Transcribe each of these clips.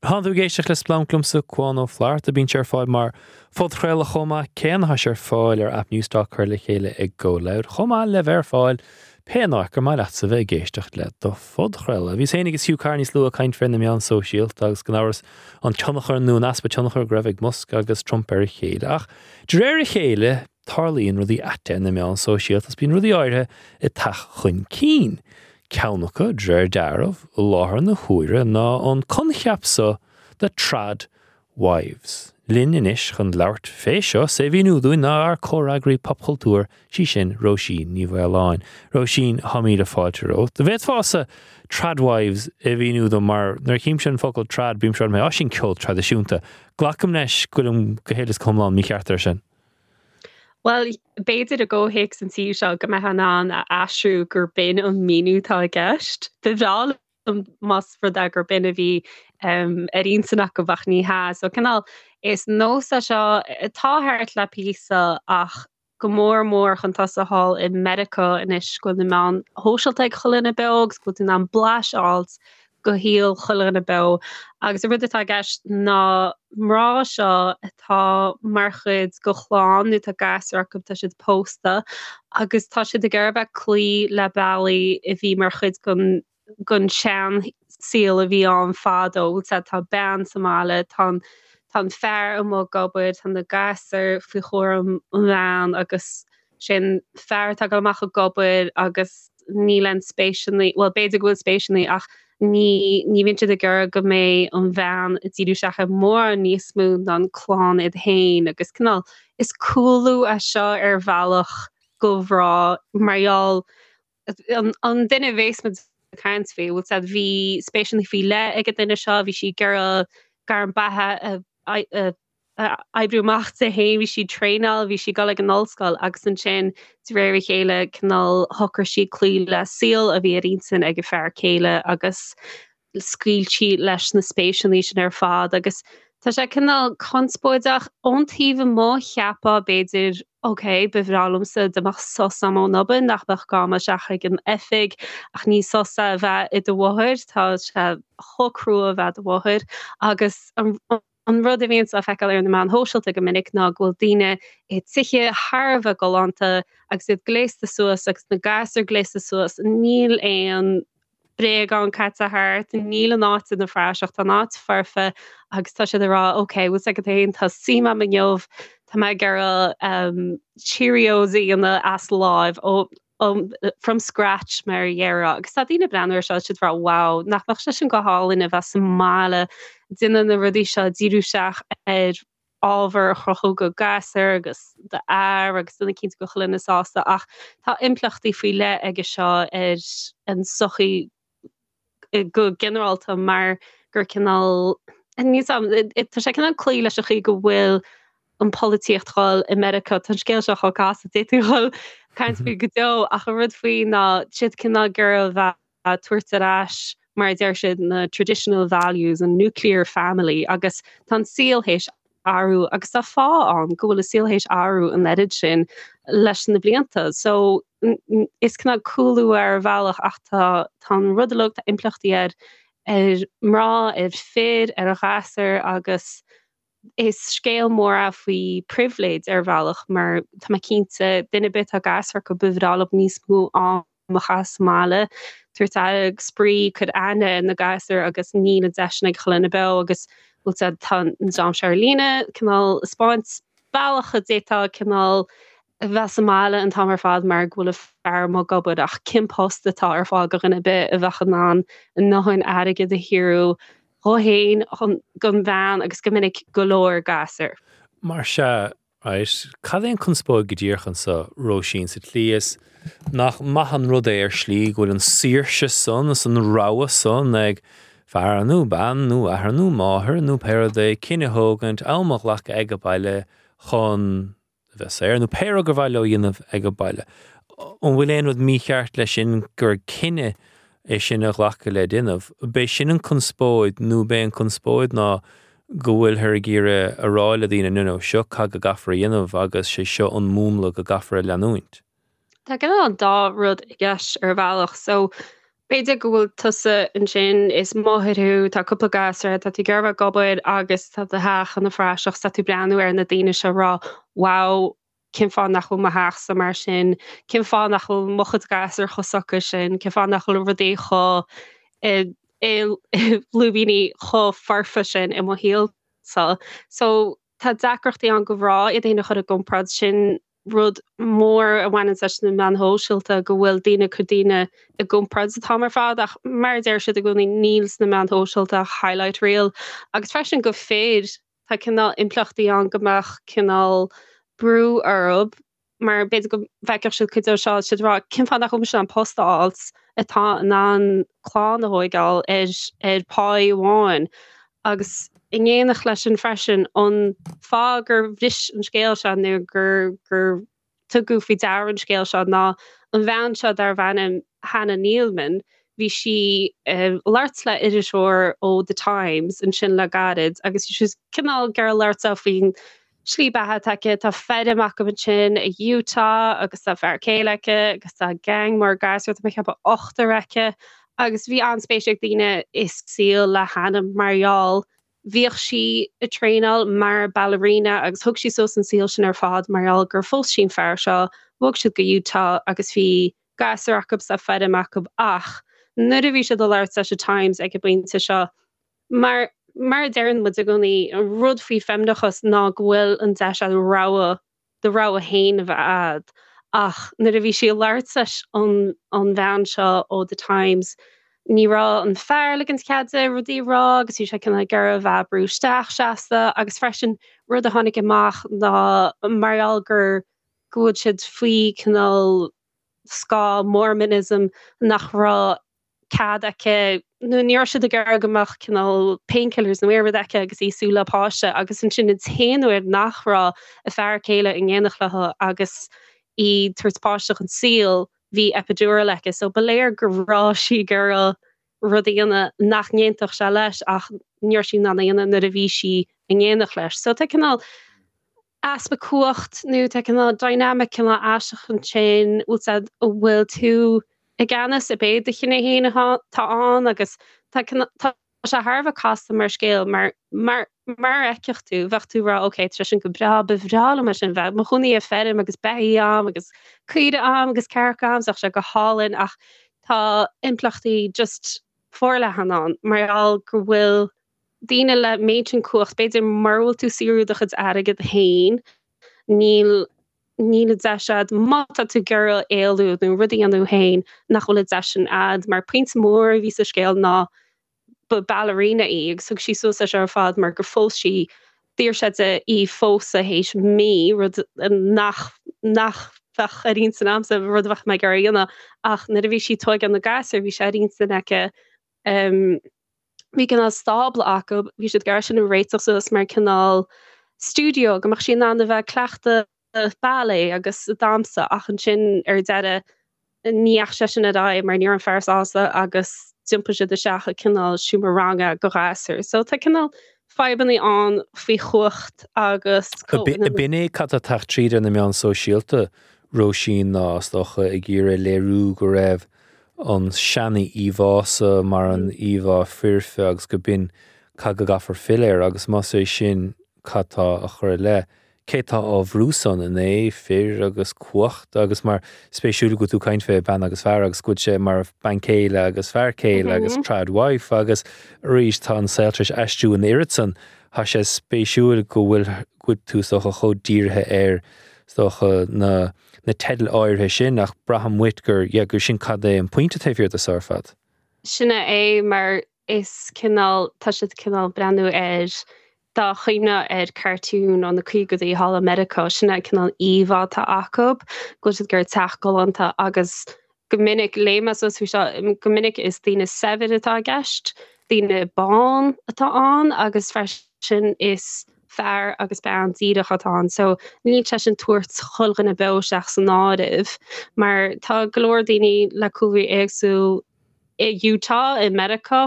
Tánn tú ag éisteacht le Splanc liomsa, Cuán Ó Flatharta. Bíonn sé ar fáil mar phodchraoladh chomh maith céanna. Tá sé ar fáil ar aip Newstalk curtha le chéile ag Go Loud, chomh maith le bheith ar fáil pé an áit gur maith leatsa bheith ag éisteacht le do phodchraoladh. Bhíos féin agus Hugh Carr níos luaithe ag caint fé na meáin sóisialta agus gan amhras an tionchar nó an easpa tionchair go raibh ag Musk agus Trump ar a chéile. Ach de réir a chéile, tarlaíonn rudaí aite ar na meáin sóisialta agus bíonn rudaí áirithe ag teacht chun cinn. Ceann acu, de réir dealraimh, i láthair na huaire ná an coincheap so de trad wives. Linn anois chun labhairt fé seo 's é mhíniú dúinn ná ár comhfhreagraí popchultúir, sí sin Róisín Ní Mhaoláin. Róisín, tá míle fáilte romhat. An bhféadfása trad wives a mhíniú dom mar nuair a chímse an focal trad bímse rá á sin ceol traidisiúnta. Glacaim leis go bhfuilim go huile is go hiomlán mícheart air sin. Bhuel, b'fhéidir i gcomhthéacs an tsuímh seo go mbeifeá in ann a aistriú gur b'in an míniú atá i gceist. Ba bhreá liom más rud é gur b'in a bhí ar intinn acu ach ní hea. So cineál, is nós é seo atá thart le píosa ach go mór mór chun tosaigh thall i Meiriceá anois go bhfuil na meáin shóisialta ag chuile dhuine beo agus go bhfuil tú in ann blaiseadh a fháilt go shaol chuile dhuine beo. Agus an rud atá i gceist ná mná seo atá mar chuid de chlann nó tá gasúir acu, tá siad pósta agus tá siad ag iarraidh a bheith ag cloí le bealaí a bhí mar chuid den den sean-saol a bhí ann fadó. Tá bean sa mbaile, tá an tá an fear amuigh ag obair, tá na gasúir faoi chúram an bhean agus sé an fear atá ag dul amach ag obair agus níl aon spéiseanna, bhuel b'fhéidir go bhfuil spéiseanna ach ní ní bhíonn siad ag iarraidh go mbeidh an bhean ag díriú isteach ar mórán níos mó ná an clann iad féin agus cineál is cúlú é seo ar bhealach do mhná mar gheall an duine a bhéas muid ag caint faoi, bhfuil a fhios agat, bhí spéiseanna faoi leith ag an duine seo, bhí sí ag iarraidh gairm beatha a oibriú amach di féin, bhí sí ag traenáil, bhí sí ag dul ag an ollscoil agus ansin de réir a chéile cineál shocraigh sí cloí le saol a bhí ar intinn ag a fear céile agus scaoil sí leis na spéiseanna sin ar fad agus tá sé cineál conspóideach ón taobh amuigh cheapfá b'fhéidir ok ba bhreá liomsa dá mbeadh sos agam ón obair nach mbeadh gá dul isteach ag an oifig ach ní sos é a bheith i do mháthair tá sé chomh crua a bheith i do mháthair agus an An rud a bhíonns á feiceáil ar na meáin shóisialta go minic ná go bhfuil daoine i tithe thar a bheith galánta agus iad gléasta suas agus na gasúir gléasta suas, níl aon bréagán caite thart, níl an áit ina phraiseach, tá an áit foirfe agus tá siad ag rá ok, bhfuil a fhios agat féin, tá suim agam inniu, tá mé ag iarraidh Cheerios a dhéanamh as láimh ó from scratch mar a déarfá agus tá daoine ag breathnú ar seo siad ag rá wow nach mbeadh sé sin go hálainn a bheith sa mbaile déanamh na rudaí seo díriú isteach ar ábhar a chruthú do ghasúir agus d'fhear agus déanamh cinnte go bhfuil chuile dhuine sásta ach tá impleachtaí faoi leith aige seo ar an sochaí go ginearálta mar gur cineál, níl 's a'm, tá sé cineál cloí leis an chaoi go bhfuil an polaitíocht ag dul i Meiriceá, tá an scéal seo chomh casta, d'fhéadfaí a dhul caint faoi go deo ach an rud faoi ná siad cineál ag iarraidh a bheith ag tabhairt ar ais mar a deir siad na traditional values, an nuclear family agus tá an saol théis athrú agus tá fáth ann go bhfuil an saol théis athrú an oiread sin leis na blianta. So is cineál cúlú ar bhealach ach tá tá an rud uilig, tá impleachtaí air ar mná, ar fir, ar ghasúir agus is scéal mór é faoi pribhléid ar bhealach mar tá mé cinnte duine ar bith atá gasúir acu ba bhreá leo níos mó am a chaitheamh sa mbaile, tabhairt aire, spraoi, cur aithne ar na gasúir agus níl an deis sin ag chuile dhuine beo agus bhfuil a fhios agat tá an dream seo ar líne cineál ag 'spáint bealach a d'fhéadfá cineál a bheith sa mbaile an t-am ar fad mar go bhfuil an fear amuigh ag obair ach cén post atá ar fáil do dhuine ar bith a bheadh in ann a ndóthain airgid a shaothrú dhó fhéin, don bhean agus go minic go leor gasúr. Mar sea, Right. Cad é an conspóid go díreach anso, Róisín, sa tslí is nach maith an rud é ar shlí go bhfuil an saoirse san is an rogha san ag fear nó bean nó athair nó máthair nó pé rud é cinneadh a thógaint, am a ghlacadh ag an baile chun a bheith saor nó pé rud gur mhaith leo a dhéanamh ag an baile. An bhfuil aon rud mícheart leis sin gur cinneadh é sin a ghlacadh le déanamh. B'é sin an conspóid nó b'é an conspóid ná go bhfuilthear ag iarraidh a rá le daoine no no, seo cad go gcaithfear a dhéanamh agus sé seo an múnla go gcaithfear a leanúint. Tá cineál an dá rud i gceist ar bhealach. So. B'fhéidir go bhfuil tusa ansin, is máthair thú, tá cúpla gasúr agat, tá tú ag iarraidh a bheith ag obair agus tá do theach ina phraiseach, tá tú ag breathnú ar na daoine seo ag rá wow, cén fáth nach bhfuil mo theachsa mar sin, cén fáth nach bhfuil mo chuid gasúr chomh socair sin, cén fáth nach bhfuil rudaí chomh i lúibíní chomh foirfe sin i mo shaolsa. So tá deacrachtaí ann do mhná iad féin a chur i gcomparáid, sin rud mór a bhaineann leis na meáin shóisialta go bhfuil daoine ag cur daoine i gcomparáid an t-am ar fad ach mar a deir siad i gcónaí níl sna meáin shóisialta ach highlight reel agus freisin do fir tá cineál impleachtaí ann go mbeadh cineál brú orthu mar b'fhéidir go bhfeicfeadh siad cuid de seo siad ag rá cén fáth nach bhfuil mise in ann post a fháilt atá in ann clann a thóigeáil ar ar pháí amháin agus in éineacht leis sin freisin an fáth gur bhris an scéal seo nó gur gur tugadh faoi deara an scéal seo ná an bhean seo darbh ainm Hannah Neeleman, bhí sí ag labhairt le iriseoir ó The Times ansin le gairid agus bhí sí cineál ag iarraidh labhairt léi faoin slí beatha atá aici, tá feirm acu ansin i Utah agus tá fear céile aici agus tá gang mór gasúr, tá mé ag ceapadh ochtar aici agus bhí an-spéis ag daoine i saol le Hannah mar gheall bhíodh sí ag traenáil mar ballerina agus thug sí suas an saol sin ar fad mar gheall gur phós sí an fear seo, bhog siad go Utah agus bhí gasúir acu is tá feirm acu ach nuair a bhí siad ag labhairt leis an Times ag an bpointe seo mar mar a deireann muid i gcónaí an rud faoi feimineachas ná go bhfuil an deis agat rogha do rogha féin a bheith a'd ach nuair a bhí sí ag labhairt leis an an bhean seo ó The Times ní raibh an fear ag ligint cead di rudaí a rá agus bhí sé cineál ag iarraidh a bheith ag brú isteach seasta agus freisin rud a tháinig amach ná mar gheall gur go bhfuil siad faoi cineál scáth Mormonism nach raibh cead aici, nó ní raibh siad ag iarraidh go mbeadh cineál painkillers nó aon rud aici agus í ag súil le páiste agus ansin an t-aon uair nach raibh a fear céile in éineacht léi agus í ag tabhairt páiste chun saoil bhí epidural aici so ba léir go raibh sí ag iarraidh rud a dhéanamh nach n-aontódh sé leis ach ní raibh sí in ann a dhéanamh nuair a bhí sí in éineacht leis. So tá cineál easpa cumhacht nó tá cineál dynamic cineál aisteach ansin, bhfuil a fhios a'd, an bhfuil tú i gceannas ab é do chinneadh féin atá ann agus tá cineál, tá sé thar a bheith casta mar scéal mar, mar, mar a fheicfeadh tú, bheadh tú ag rá ok, tá sé sin go breá, ba bhreá liom é sin, bheith i mo chónaí ar feirm agus beithígh a'm agus caoire a'm agus cearca a'm, bheadh sé go hálainn ach tá impleachtaí just forleathan ann mar gheall go bhfuil daoine le méid sin cumhacht, b'fhéidir mura bhfuil tú ag saothrú do chuid airgid féin, níl níl an deis a'd, má tá tú ag iarraidh éalú nó rud a dhéanamh féin, nach bhfuil an deis sin a'd, mar pointe mór a bhí sa scéal ná ba ballerina í agus thug sí suas é seo ar fad mar gur phós sí, d'iarr sé di í phósadh théis mí, rud nach nach bheadh ar intinn a'msa, rud a bheadh mé ag iarraidh a dhéanamh ach nuair a bhí sí ag tóigeáil na gasúr bhí sé ar intinn aici Bhí cineál stábla acu, bhí siad ag iarraidh sin a réiteach suas mar cineál stiúideo go mbeadh sí in ann a bheith ag cleachtadh ballet agus damhsa ach ansin ar deireadh ní dheachaigh sé sin ar aghaidh mar ní raibh an fear sásta agus d'iompaigh siad isteach i cineál seomra ranga do ghasúir. So tá cineál fadhbanna ann faoi chumhacht agus comhionannas. B'in é cad tá ag teacht tríd ar na meáin sóisialta, Róisín, ná is dócha ag iarraidh léiriú go raibh an seana-íomhá so mar an íomhá foirfe agus go b'in cad go gcaithfear filleadh air agus más é sin cad tá á chur i leith, cé tá á bhrú san, an é fir agus cumhacht agus mar spéisiúil go bhfuil tú ag caint fé bean agus fear agus go bhfuil sé mar bean céile agus fear céile agus trad wife agus arís tá an saol tar éis aistriú an oiread san, tá sé spéisiúil go bhfuil go bhfuil tú is dócha chomh dírithe ar is dócha na na teidil áirithe sin ach braithim uait gur, yeah, gur sin cad é an pointe taobh thiar de seo ar fad. Sin é mar is cineál, tá siad cineál breathnú ar, dá chuimhneofá ar cartoon ó na caogaidí thall i Meiriceá, sin é an cineál íomhá atá acu, go bhfuil siad ag iarraidh teach galánta agus go minic, léigh mé suas faoi seo, go minic is daoine saibhir atá i gceist, daoine bán atá ann agus freisin is fear agus bean díreach atá ann. So níl sé sin tabhairt chuile dhuine beo isteach san áireamh mar tá go leor daoine le cúlraí éagsúil i Utah, i Meiriceá,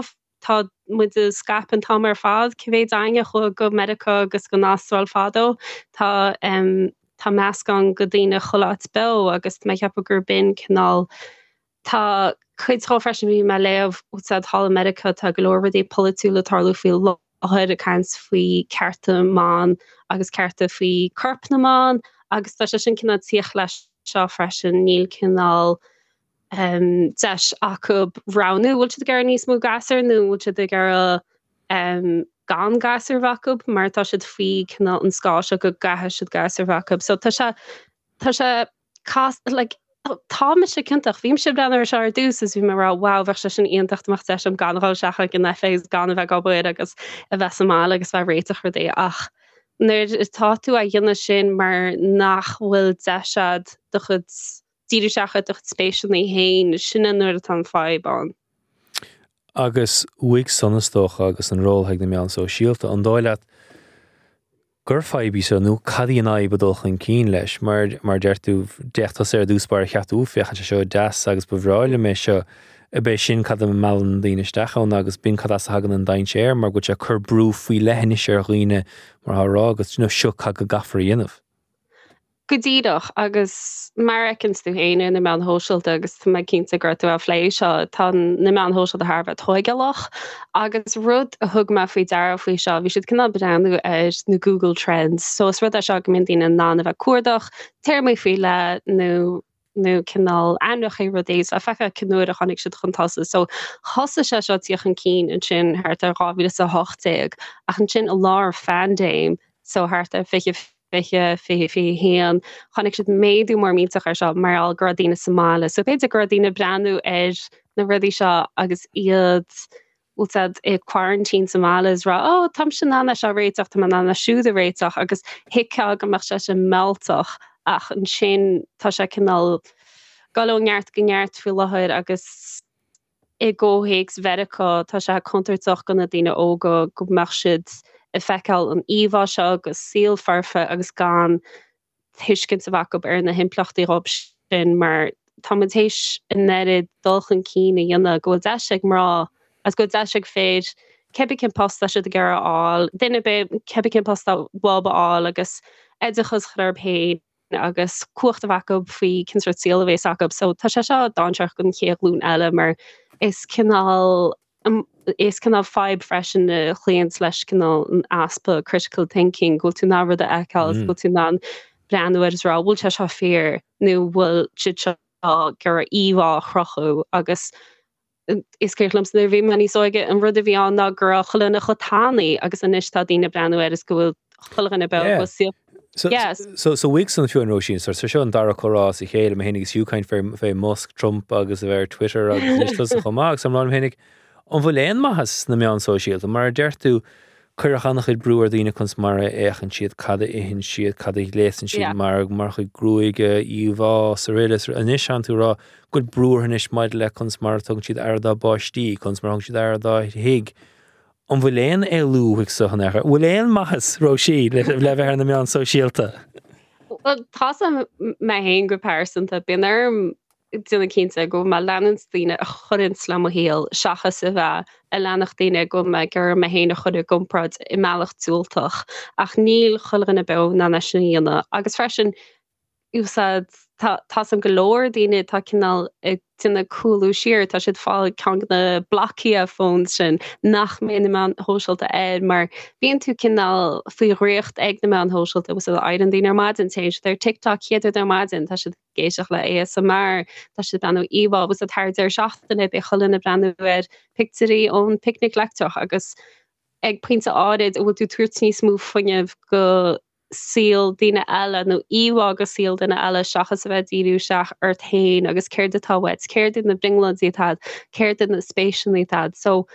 tá muid ag scaipeadh an t-am ar fad, cé mhéad againne a chuaigh go Meiriceá agus go Astráil fadó, tá tá meascán go daoine chuile áit beo agus tá mé ag ceapadh gur b'in cineál tá. Cuid dhó freisin, bhí mé ag léamh úsáid thall i Meiriceá, tá go leor rudaí polaitiúla ag tarlú faoi láthair ag caint faoi cearta mban agus cearta faoi corp na mban agus tá sé sin cineál tíocht leis seo freisin, níl cineál deis acu roghnú bhfuil siad ag iarraidh níos mó gasúr nó bhfuil siad ag iarraidh gan gasúr a bheith acu mar tá siad faoi cineál an scáth seo go gcaithfidh siad gasúr a bheith acu. So tá sé tá sé casta like tá mise ciontach. Bhí mise ag breathnú air seo ar dtús is bhí mé ag rá wow bheadh sé sin iontach dá mbeadh deis agam gan a dhul isteach ag an oifig agus gan a bheith ag obair agus a bheith sa mbaile agus bheith ag réiteach rudaí ach nuair atá tú á dhéanamh sin mar nach bhfuil deis agat do chuid díriú isteach ar do chuid spéiseanna féin, sin é nuair atá an fadhb ann. Agus uaidh san is dócha agus an ról ag na meáin sóisialta, an dóigh leat gur fadhb í seo nó cad í an fhadhb a dul chun cinn leis? Mar, mar a deir tú, d'fhéach tusa ar dtús báire cheap tú, féachann sé seo deas agus ba bhreá liom é seo. Ab é sin cad a meallann daoine isteach ann agus b'in cad as a thagann an dainséar mar go bhfuil sé ag cur brú faoi leith anois ar dhaoine mar atá á rá agat, you know, seo cad go gcaithfear a dhéanamh. Go díreach, agus mar a fheiceanns tú féin ar na meáin shóisialta, agus tá mé cinnte go raibh tú á phlé seo, tá na meáin shóisialta thar a bheith tóigeálach agus rud a thug mé faoi deara faoi seo, bhí siad cineál breathnú ar na Google Trends, so is rud é seo go mbíonn daoine in ann a bheith ag cuardach téarmaí faoi leith nó nó cineál ainmneacha rudaí is le feiceáil cén uair a tháinig siad chun tosaigh. So thosaigh sé seo tíocht chun cinn ansin thart ar 2018 ach ansin i lár phaindéim, so thart ar 20, 20, 20, 21. Chonaic siad méadú mór millteach air seo mar gheall go raibh daoine sa mbaile. So b'fhéidir go raibh daoine ag breathnú ar na rudaí seo agus iad bhfuil siad i quarantine sa mbaile is rá oh táimse in ann é seo a réiteach, tá mé in ann é siúd a réiteach agus thuigfeá go mbeadh sé sin mealltach ach ansin tá sé cineál dul ó neart go neart faoi láthair agus I gcomhthéacs Mheiriceá, tá sé contúirteach do na daoine óga go mbeadh siad ag feiceáil an íomhá seo de saol foirfe agus gan tuiscint a bheith acu ar na himpleachtaí dhóibh sin mar tá muid théis an oiread dul chun cinn a dhéanamh go bhfuil deis ag mná agus go bhfuil deis ag fir cibé cén post tá siad ag iarraidh a fháil, duine ar bith cibé cén post atá uathu a fháil agus oideachas a chur orthu féin. agus cumhacht a bheith acu faoi cén sórt saol a bhéas acu. So tá sé seo dainséarach don chéad ghlúin eile mar is cineál is cineál fadhb freisin a chloíonns leis cineál an easpa critical thinking, go bhfuil tú in ann rud a fheiceáil agus go bhfuil tú in ann breathnú air is rá bhfuil sé seo fíor nó bhfuil siad seo ag iarraidh íomhá a chruthú agus Is cuimhin liomsa nuair a bhí mé níos óige, an rud a bhí ann ná go raibh chuile dhuine chomh tanaí agus anois tá daoine ag breathnú air is go bhfuil chuile dhuine beo go saol. So, Yes. so, so uaidh san fiú an Róisín, so, so seo an dara comhrá as a chéile, mé féinig is Hugh caint fé, fé Musk, Trump agus a bheith ar Twitter agus anois tusa chomh maith agus I'm rá liom féinig, an bhfuil aon maitheas sna meáin sóisialta? Mar a deir tú, Cuireadh an-chuid brú ar dhaoine conas mar a fhéachann siad, cad a itheann siad, cad a ghléasann siad mar, mar chuid gruaige, íomhá, srl. Anois tánn tú ag rá go bhfuil brú orthu anois maidir le conas mar a tugann siad aire dá bpáistí, conas mar a thugann siad aire dá thigh. An bhfuil aon éalú uaidh so in aon chor? An bhfuil aon maitheas, Róisín, le bheith ar na meáin sóisialta? Bhuel, tá 's a'm mé féin go pearsanta, bíonn orm déanamh cinnte go bhfuil mé ag leanúint daoine a chuireanns le mo shaol seachas a bheith ag leanacht daoine go bhfuil mé ag iarraidh mé féin a chur i gcomparáid i mbealach diúltach. Ach níl chuile dhuine beo in ann é sin a dhéanamh. Agus freisin, úsáid, tá, tá 's a'm go leor daoine atá cineál ag déanamh cúlú siar, tá siad ag fáil ceann de na Nokia phones sin nach mbeidh na meáin shóisialta air mar bíonn tú cineál faoi dhraíocht ag na meáin shóisialta, agus éiríonn daoine ar maidin, téann siad ar TikTok chéad rud ar maidin, tá siad ag éisteacht le ASMR, tá siad ag breathnú íomhá agus thar deireadh seachtaine beidh chuile dhuine ag breathnú ar pictiúirí ón bPicnic Leictreach agus ag pointe áirid an bhfuil tú ag tabhairt níos mó fuinnimh go saol daoine eile nó íomhá go saol duine eile seachas a bheith ag díriú isteach ort féin agus céard atá uait, céard iad na brionglóidí atá agat, céard iad na spéiseanna atá agat. So,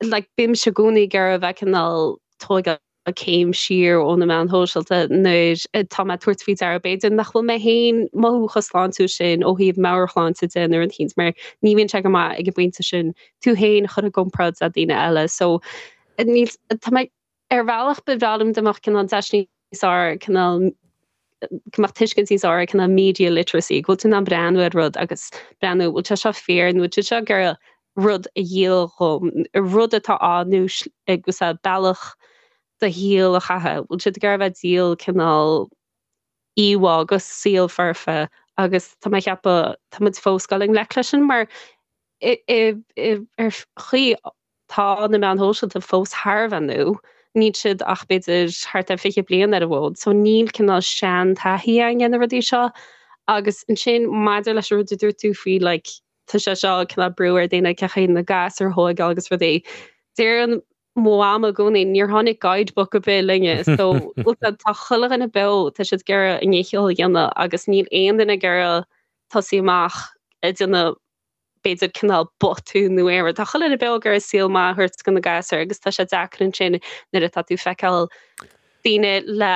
like, bímse i gcónaí ag iarraidh a bheith cineál tógáil céim siar ó na meáin shóisialta nuair atá mé ag tabhairt faoi deara b'fhéidir nach bhfuil mé féin mothú chomh sláintiúil sin ó thaobh meabhairshláinte de nó rud eicínt mar ní bhíonn sé go maith ag an bpointe sin tú féin a chur i gcomparáid le daoine eile. So níl, tá mé, ar bhealach ba bhreá liom dá mbeadh cineál deis níos fearr cineál go mbeadh tuiscint níos fearr ar cineál media literacy, go bhfuil tú in ann breathnú ar rud agus breathnú bhfuil sé seo fíor nó bhfuil sé seo ag iarraidh rud a dhíol dhom, rud atá á nó agus bealach do shaol a chaitheamh, bhfuil siad ag iarraidh a bheith ag díol cineál íomhá go saol foirfe. Agus tá mé ag ceapadh tá muid fós ag dul i ngleic leis sin mar ar chaoi tá na meáin shóisialta fós thar a bheith nua, níl siad ach b'fhéidir thart ar 20 bliain ar an bhfód, so níl cineál sean-taithí againn ar na rudaí seo. Agus ansin maidir leis an rud a dúirt tú faoi like tá sé seo cineál brú ar daoine cén chaoi na gasúir a thóigeáil agus rudaí, deireann mo mham i gcónaí níor tháinig guidebook ar bith linne so tá chuile dhuine beo, tá siad ag iarraidh a ndícheall a dhéanamh agus níl aon duine ag iarraidh tosaí amach ag déanamh b'fhéidir cineál botún nó aon rud. Tá chuile dhuine beo ag iarraidh saol maith a thabhairt do na gasúir agus tá sé deacair ansin nuair atá tú ag feiceáil daoine le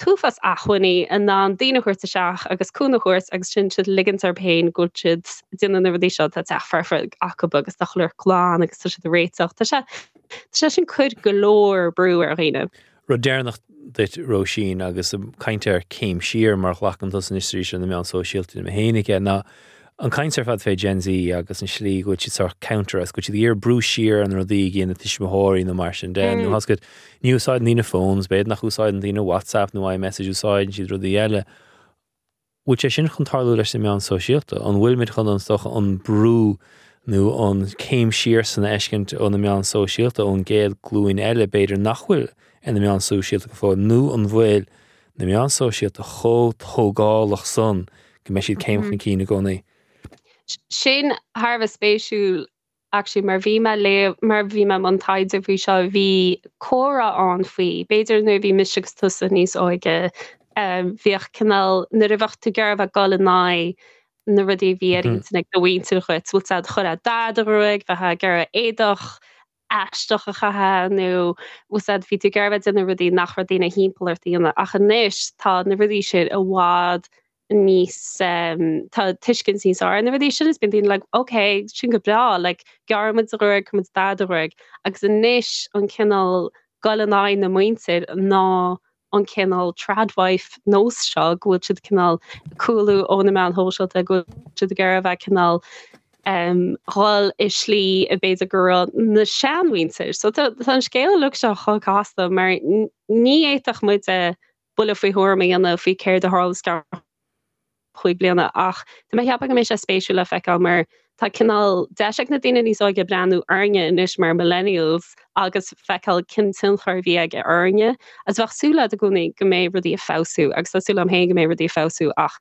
t-uafás acmhainní in ann daoine a thabhairt isteach agus cúnamh a thabhairt agus ansin siad ag ligint orthu féin go bhfuil siad ag déanamh na rudaí seo, tá teach foirfe acu agus tá chuile rud glan agus tá siad ag réiteach. Tá sé tá sé sin ag cur go leor brú ar dhaoine. Rud deireanach duit Róisín agus caint ar céim siar mar ghlacann tusa anois arís ar na meáin sóisialta níl mé féin aige ná an caint ar fad fé Gen Z agus an slí go bhfuil siad sórt counter agus go bhfuil siad ag iarraidh brú siar ar na rudaí a dhéanann tuismitheoirí nó mar sin de nó tá a fhios agat Ní úsáideann daoine phones, b'fhéidir nach úsáideann daoine WhatsApp nó iMessage, úsáideann siad rudaí eile. Bhfuil sé sin chun tarlú leis na meáin sóisialta? An bhfuilimid chun an, is dócha, an brú nó an céim siar san a fheiscint ó na meáin sóisialta, ón gcéad glúin eile, b'fhéidir, nach bhfuil ar na meáin sóisialta go fóill, nó an bhfuil na meáin sóisialta chomh tógálach san go mbeidh siad céim chun cinn i gcónaí? Sin thar a bheith spéisiúil Actually mar bhí mé léamh, mar bhí mé i mbun taighde faoi seo, bhí comhrá ann faoi, b'fhéidir nuair a bhí mise agus tusa níos óige, bhíodh cineál, nuair a bheadh tú ag iarraidh a bheith ag dul in aghaidh na rudaí a bhí ar intinn ag do mhuintir dhuit, bhfuil a fhios agat, chuirfeá dath ar do ghruaig, bheifeá ag iarraidh éadach aisteach a chaitheamh nó bhfuil a fhios agat, bhí tú ag iarraidh a bheith ag déanamh rudaí nach raibh daoine thimpeall ort a dhéanamh ach anois tá na rudaí sin i bhfad níos tá tuiscint níos fearr ar na rudaí sin is bíonn daoine like ok sin go breá like gearrfaidh muid do ghruaig cuirfidh muid dath ar do ghruaig agus anois an cineál dul in aghaidh na muintir ná an cineál tradwife nós seo go bhfuil siad cineál ag cúlú ó na meáin shóisialta go bhfuil siad ag iarraidh a bheith cineál um, dhul i slí a b'fhéidir go raibh na seanmhuintir. So tá tá an scéal uilig seo chomh casta mar ní fhéadfadh muide buille faoi thuairim a dhéanamh faoi céard a tharlós i gceann chúig bliana ach tá mé ag ceapadh go mbeidh sé spéisiúil le feiceáil mar tá cineál deis ag na daoine níos óige breathnú orainne anois mar millennials agus feiceáil cén tionchar a bhí aige orainne agus bheadh súil agat i gcónaí go mbeidh rudaí ag feabhsú agus tá súil agam féin go mbeidh rudaí ag feabhsú ach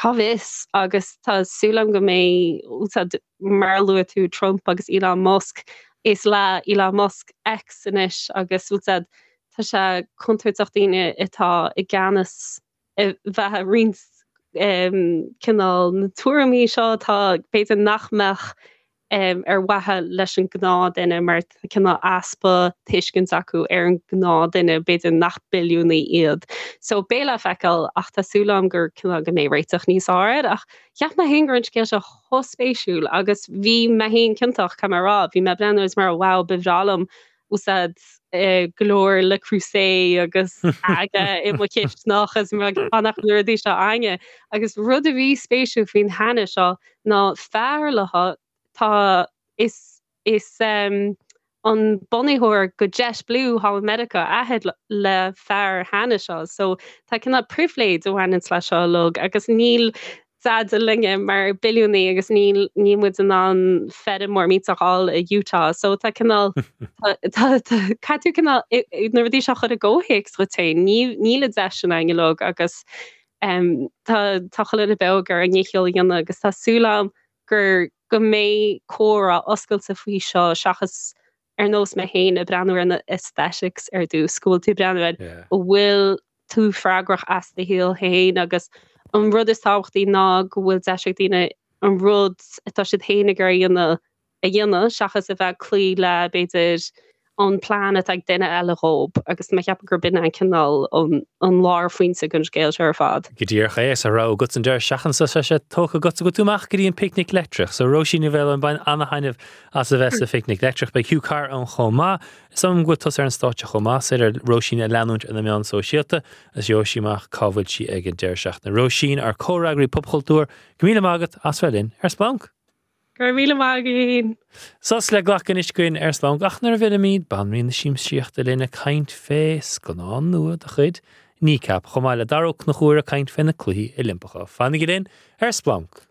cá bhfios agus tá súil agam go mbeidh, mar a luaigh tú Trump agus Elon Musk, is le Elon Musk X anois agus bhfuil a fhios agat, tá sé contúirteach daoine atá i gceannas a bheith ag roinnt cineál na tuairimí seo atá b'fhéidir nach mbeadh ar mhaithe leis an gnáthduine mar tá cineál easpa tuiscint acu ar an gnáthduine, b'fhéidir nach billiúnaí iad. So beidh le feiceáil ach tá súil agam gur cineál go mbeidh réiteach níos fearr air ach cheap mé féin go raibh an scéal seo chomh spéisiúil agus bhí mé féin ciontach, caithfidh mé a rá, bhí mé ag breathnú agus mar wow ba bhreá liom úsáid go leor Le Creuset agus aga i mo chisteanach is mar nach na rudaí seo againne. Agus rud a bhí spéisiúil faoin Hannah seo ná fear léi tá is is an bunaitheoir go JetBlue thall i Meiriceá athair le fear Hannah seo so tá cineál pribhléid a bhaineanns leis seo uilig agus níl dada linne mar billiúnaí agus níl níl muid in ann feirm mór millteach a fháil i Utah so tá cineál tá tá caithfidh tú cineál na rudaí seo a chur i gcomhthéacs dhuit féin níl níl an deis sin againn uilig agus Tá tá chuile dhuine beo ag iarraidh a ndícheall a dhéanamh agus tá súil agam gur go mbeidh comhrá oscailte faoi seo seachas ar nós mé féin ag breathnú ar na aesthetics ar dtús, go bhfuil tú ag breathnú ar an bhfuil tú freagrach as do shaol féin agus an rud is tábhachtaí ná go bhfuil deis ag daoine an rud atá siad féin ag iarraidh a dhéanamh a dhéanamh seachas a bheith ag cloí le, b'fhéidir, an plean atá ag duine eile dhób agus mé ag ceapadh gurb in an cineál an lárphointe den scéal seo ar fad. Go díreach é, is a rogha agat an deireadh seachtaine seo tá sé tógtha agat go bhfuil tú amach go dtí an Picnic Leictreach. So Róisín Ní Mhaoláin, bain ana-thaitneamh as a bheith sa Phicnic Leictreach. Beidh Hugh Carr ann chomh maith. Is dóigh liom go bhfuil tusa ar an stáitse chomh maith. Is féidir Róisín a leanúint ar na meáin sóisialta agus gheobhaidh sí amach cá bhfuil sí ag an deireadh seachtaine. Róisín, ár comhfhreagraí popchultúir, go míle maith agat as bheith linn ar Splanc! Go raibh míle maith agat. Sos le glacadh anois againn ar Splanc ach nuair a bhfillimid, banríon na siamsaíochta linn ag caint fé scannán nua de chuid. Kneecap, chomh maith le Dara Ó Conchúir ag caint fé na Cluichí Oilimpeacha. Fanaigí linn ar Splanc!